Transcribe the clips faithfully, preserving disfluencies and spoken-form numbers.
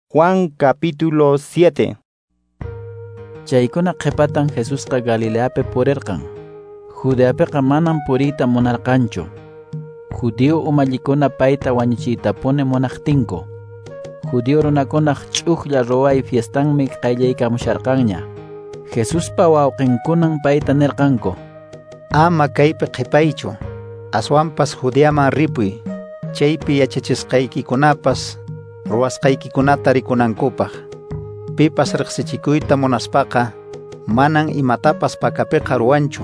Juan capítulo siete. Chaykuna qhipatan Jesusqa Galileapi purirqan. Judeapiqa manam puriyta munarqanchu. Judío umallikuna payta wañuchiytapuni munaqtinku. Judío runakunaq ch'ujlla ruway fiestanmi qayllaykamusharqanña. Jesuspa wawqinkunan payta nirqanku: Ama kaypi qhipaychu, aswanpas Judeaman ripuy, chaypi yachachisqaykikunapas ruwasqaykikunata rikunankupaq. Pipas riqsichikuyta munaspaqa manan imatapas pakapiqa ruwanchu.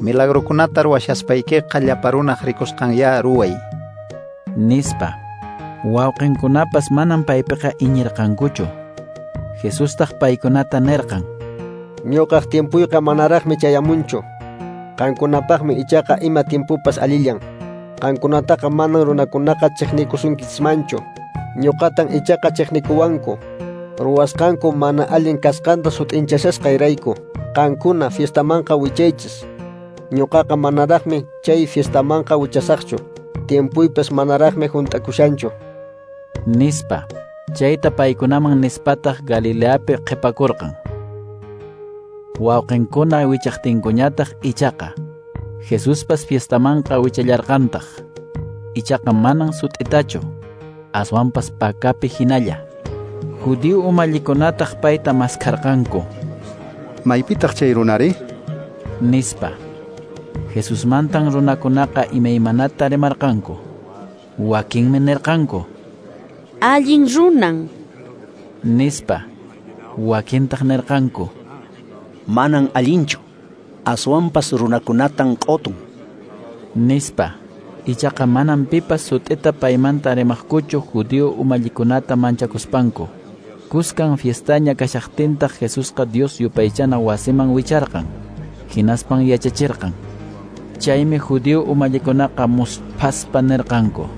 Milagrokunata ruwashaspaykiqa llapa runaq rikusqanyá ruway, nispa. Wawqinkunapas manan paypiqa iñirqankuchu. Jesustaq paykunata nirqan: Ñuqaq tiempuyqa manaraqmi chayamunchu. Qankunapaqmi ichaqa ima tiempupas allillan. Qankunataqa manan runakunaqa chiqnikusunkichismanchu. Ñuqatan ichaqa chiqnikuwanku. Ruwasqanku mana allin kasqanta sut'inchashasqayrayku. Qankuna fiestamanqa wichaychis. Ñuqaqa manaraqmi chay fiestamanqa wichasaqchu. Tiempuypas manaraqmi hunt'akushanchu, nispa. Chayta paykunaman nispataq Galileapi qhipakurqan. Wawqinkuna wichaqtinkuñataq ichaqa Jesuspas fiestamanqa wichallarqantaq. Ichaqa manan sut'itachu, aswanpas pakapi hinalla. Judío umallikunataq payta maskharqanku. Maypitaq chay runari? Nispa. Jesusmantan runakunaqa imaymanata rimarqanku. Wakinmi nirqanku: Allin runan, nispa. Wakintaq nirqanku: Manan allinchu, aswanpas runakunatan q'otun, nispa. Ichaqa manan pipas sut'ita paymanta rimaqkuchu judío umallikunata manchakuspanku. Kuskan fiestaña kashaqtintaq Jesusqa Dios yupaychana wasiman wicharqan, hinaspan yachachirqan. Chaymi judío umallikunaqa musphaspa nirqanku: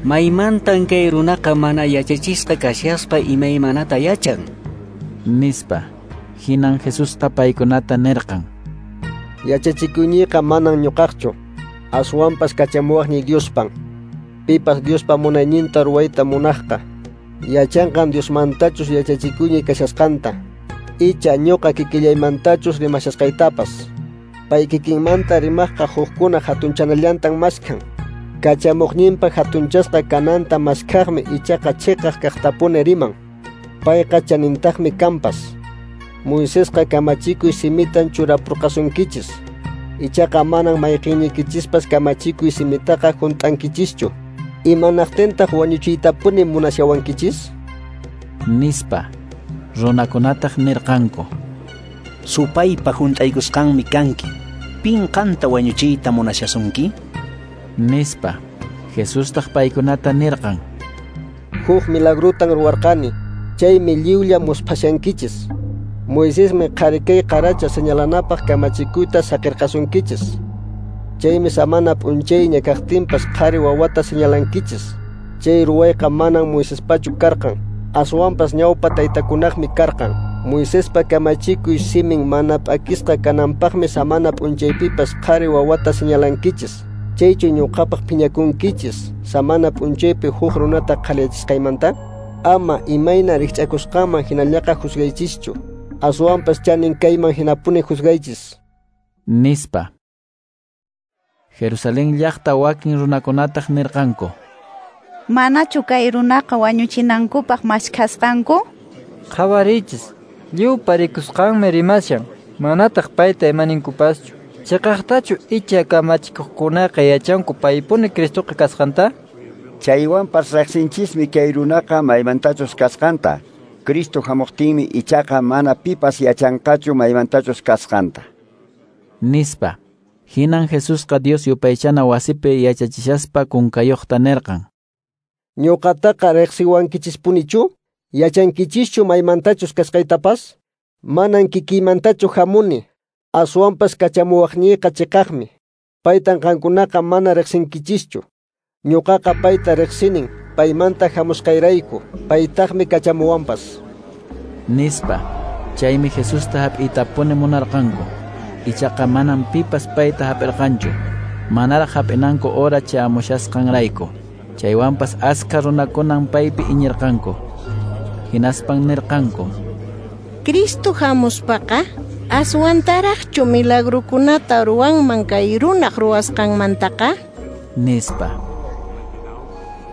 Maymantan kay runaqa mana yachachisqa kashaspa imaymanata yachan, nispa. Hinan Jesusqa paykunata nirqan: Yachachikuyñiqa manan ñuqaqchu, aswanpas kachamuwaqniy Diospan. Pipas Diospa munayninta ruwayta munaqqa yachanqan Diosmantachus yachachikuyñiy kashasqanta, icha ñuqa kikillaymantachus rimashasqaytapas. Pay kikinmanta rimaqqa hukkuna hatunchanallantan maskhan. Kachamuqninpa hatunchasqa kananta maskhaqmi ichaqa chiqaq kaqtapuni riman. Payqa chanintaqmi kanpas. Moisesqa kamachikuy simitan churapurqasunkichis. Ichaqa manan mayqinniykichispas kamachikuy simitaqa hunt'ankichischu. Imanaqtintaq wañuchiytapuni munashawankichis? Nispa. Runakunataq nirqanku: Supaypa hunt'aykusqanmi kanki. Pin qanta wañuchiyta munashasunki? Nispa. Jesustaq paykunata nirqan: Huk milagrutan ruwarqani, chaymi lliwlla musphashankichis. Moisesmi qhari kay qaracha señalanapaq kamachikuyta saqirqasunkichis. Chaymi samana p'unchayña kaqtinpas qhari wawata señalankichis. Chay ruwayqa manan Moisespachu karqan, aswanpas ñawpa taytakunaqmi karqan. Moisespa kamachikuy simin mana p'akisqa kananpaqmi samana p'unchaypipas qhari wawata señalankichis. Chaychu ñuqapaq phiñakunkichis samana p'unchaypi huk runata qhaliyachisqaymanta? Ama imayna rikch'akusqanman hinallaqa juzgaychischu, aswanpas chanin kayman hinapuni juzgaychis, nispa. Jerusalén llaqta wakin runakunataq nirqanku: Manachu kay runaqa wañuchinankupaq maskhasqanku? Qhawariychis, lliwpa rikusqanmi rimashan, manataq payta imaninkupaschu. Chiqaqtachu icha kamachikuqkunaqa yachanku paypuni Cristoqa kasqanta? Chaywanpas riqsinchismi kay runaqa maymantachus kasqanta. Cristo hamuqtinmi ichaqa mana pipas yachanqachu maymantachus kasqanta, nispa. Hinan Jesusqa Dios yupaychana wasipi yachachishaspa kunkayuqta nirqan: Ñuqataqa riqsiwankichispunichu? Yachankichischu maymantachus kasqaytapas? Manan kikiymantachu hamuni, aswanpas kachamuwaqniyqa chiqaqmi. Paytan qankunaqa mana riqsinkichischu. Ñuqaqa payta riqsinin, paymanta hamusqayrayku, paytaqmi kachamuwanpas, nispa. Chaymi Jesusta hap'iytapuni munarqanku. Ichaqa manan pipas payta hap'irqanchu, manaraq hap'inanku hora chayamushasqanrayku. Chaywanpas askha runakunan paypi iñirqanku. Hinaspan nirqanku: Cristo hamuspaqa aswantaraqchu milagrukunata ruwanman kay runaq ruwasqanmantaqa? Nispa.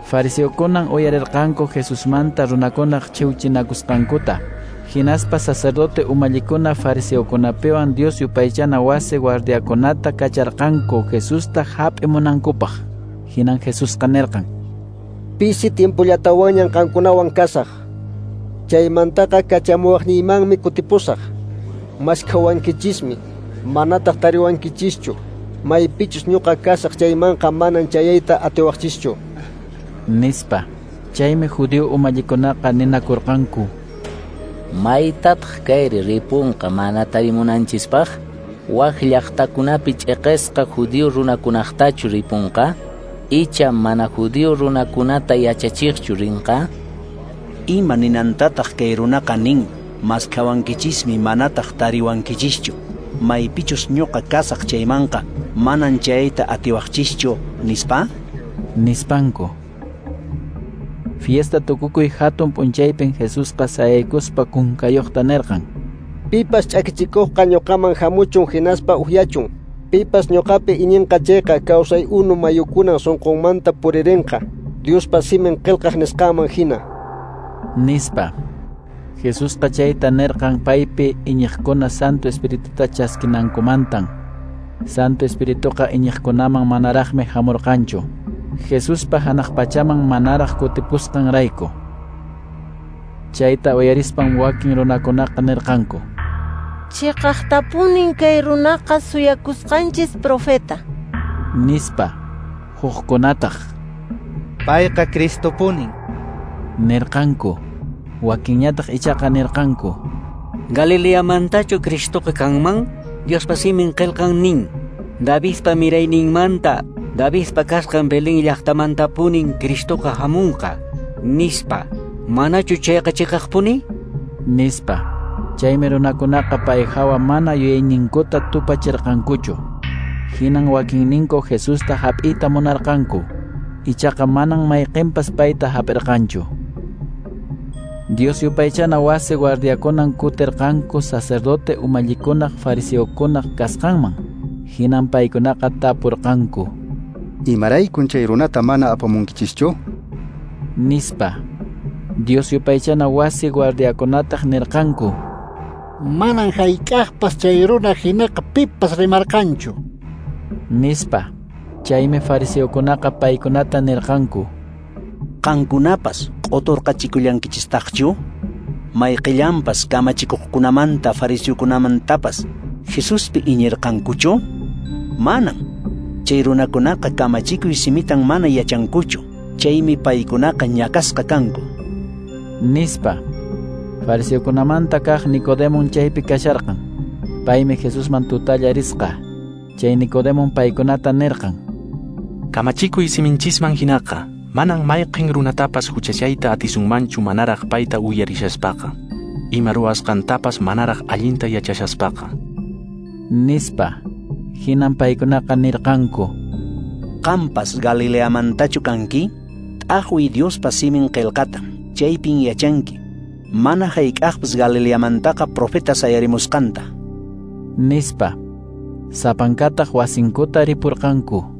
Fariseokunan uyarirqanku Jesusmanta runakunaq chiwchinakusqankuta. Hinaspa sacerdote umallikuna fariseokunapiwan Dios yupaychana wasi guardiakunata kacharqanku Jesusta hap'imunankupaq. Hinan Jesusqa nirqan: Pisi tiempollatawanñan qankunawan kasaq. Chaymantaqa kachamuwaqniymanmi kutipusaq. Maskhawankichismi, manataq tariwankichischu. Maypichus ñuqa kasaq chaymanqa manan chayayta atiwaqchischu. Nispa. Chaymi judío umallikunaqa ninakurqanku: Maytataq kayri ripunqa mana tarimunanchispaq? Wak llaqtakunapi ch'iqisqa judío runakunaqtachu ripunqa? Icha mana judío runakunata yachachiqchu rinqa? Ima ninantataq kay runaqa nin, maskhawankichismi manataq tariwankichischu. Maypichus ñuqa kasaq chaymanqa manan chayta atiwaqchischu, nispa? Nispanku. Fiesta tukukuy hatun p'unchaypin Jesusqa sayaykuspa kunkayuqta nirqan: Pipas ch'akichikuqqa ñuqaman hamuchun hinaspa uhyachun. Pipas ñuqapi iñinqa chayqa kawsay unu mayukunan sunqunmanta puririnqa, Diospa simin qillqaq nisqanman hina. Nispa. Jesusqa chayta nirqan paypi iñiqkuna Santo Espirituta chaskinankumantan. Santo Espirituqa iñiqkunaman manaraqmi hamurqanchu, Jesuspa hanaq pachaman manaraq kutipusqanrayku. Chayta uyarispan wakin runakunaqa nirqanku: Chiqaqtapunin kay runaqa suyakusqanchis profeta. Nispa. Hukkunataq: Payqa Cristopunin, nirqanku. Wakinñataq ichaqa nirqanku: Galileamantachu Cristoqa kanman? Diospa simin qillqan nin, Davidpa mirayninmanta, Davidpa kasqan Belén llaqtamantapunin Cristoqa hamunqa, nispa. Manachu chayqa chiqaqpuni? Nispa. Chaymi runakunaqa pay hawa mana yuyayninkuta tupachirqankuchu. Hinan wakinninku Jesusta hap'iyta munarqanku, ichaqa manan mayqinpas payta hap'irqanchu. Dios yupaychana wasi guardiakunan kutirqanku sacerdote umallikunaq fariseokunaq kasqanman. Hinan paykunaqa tapurqanku: Imaraykun chay runata mana apamunkichischu? Nispa. Dios yupaychana wasi guardiakunataq nirqanku: Manan hayk'aqpas chay runa hinaqa pipas rimarqanchu. Nispa. Chaymi fariseokunaqa paykunata nirqanku: Qankunapas q'uturqachikullankichistaqchu? Mayqillanpas kamachikuqkunamanta fariseokunamantapas Jesuspi iñirqankuchu? Manan. Chay runakunaqa kamachikuy simitan mana yachankuchu. Chaymi paykunaqa ñakasqa kanku. Nispa. Fariseokunamanta kaq Nicodemon chaypi kasharqan. Paymi Jesusman tutalla risqa. Chay Nicodemon paykunata nirqan: Kamachikuy siminchisman hinaqa manan mayqin runatapas huchachayta atisunmanchu manaraq payta uyarishaspaqa, ima ruwasqantapas manaraq allinta yachashaspaqa. Nispa. Hinan paykunaqa nirqanku: Qampas Galileamantachu kanki? T'aqwiy Diospa simin qillqata, chaypin yachanki mana hayk'aqpas Galileamantaqa profeta sayarimusqanta. Nispa. Sapankataq wasinkuta ripurqanku.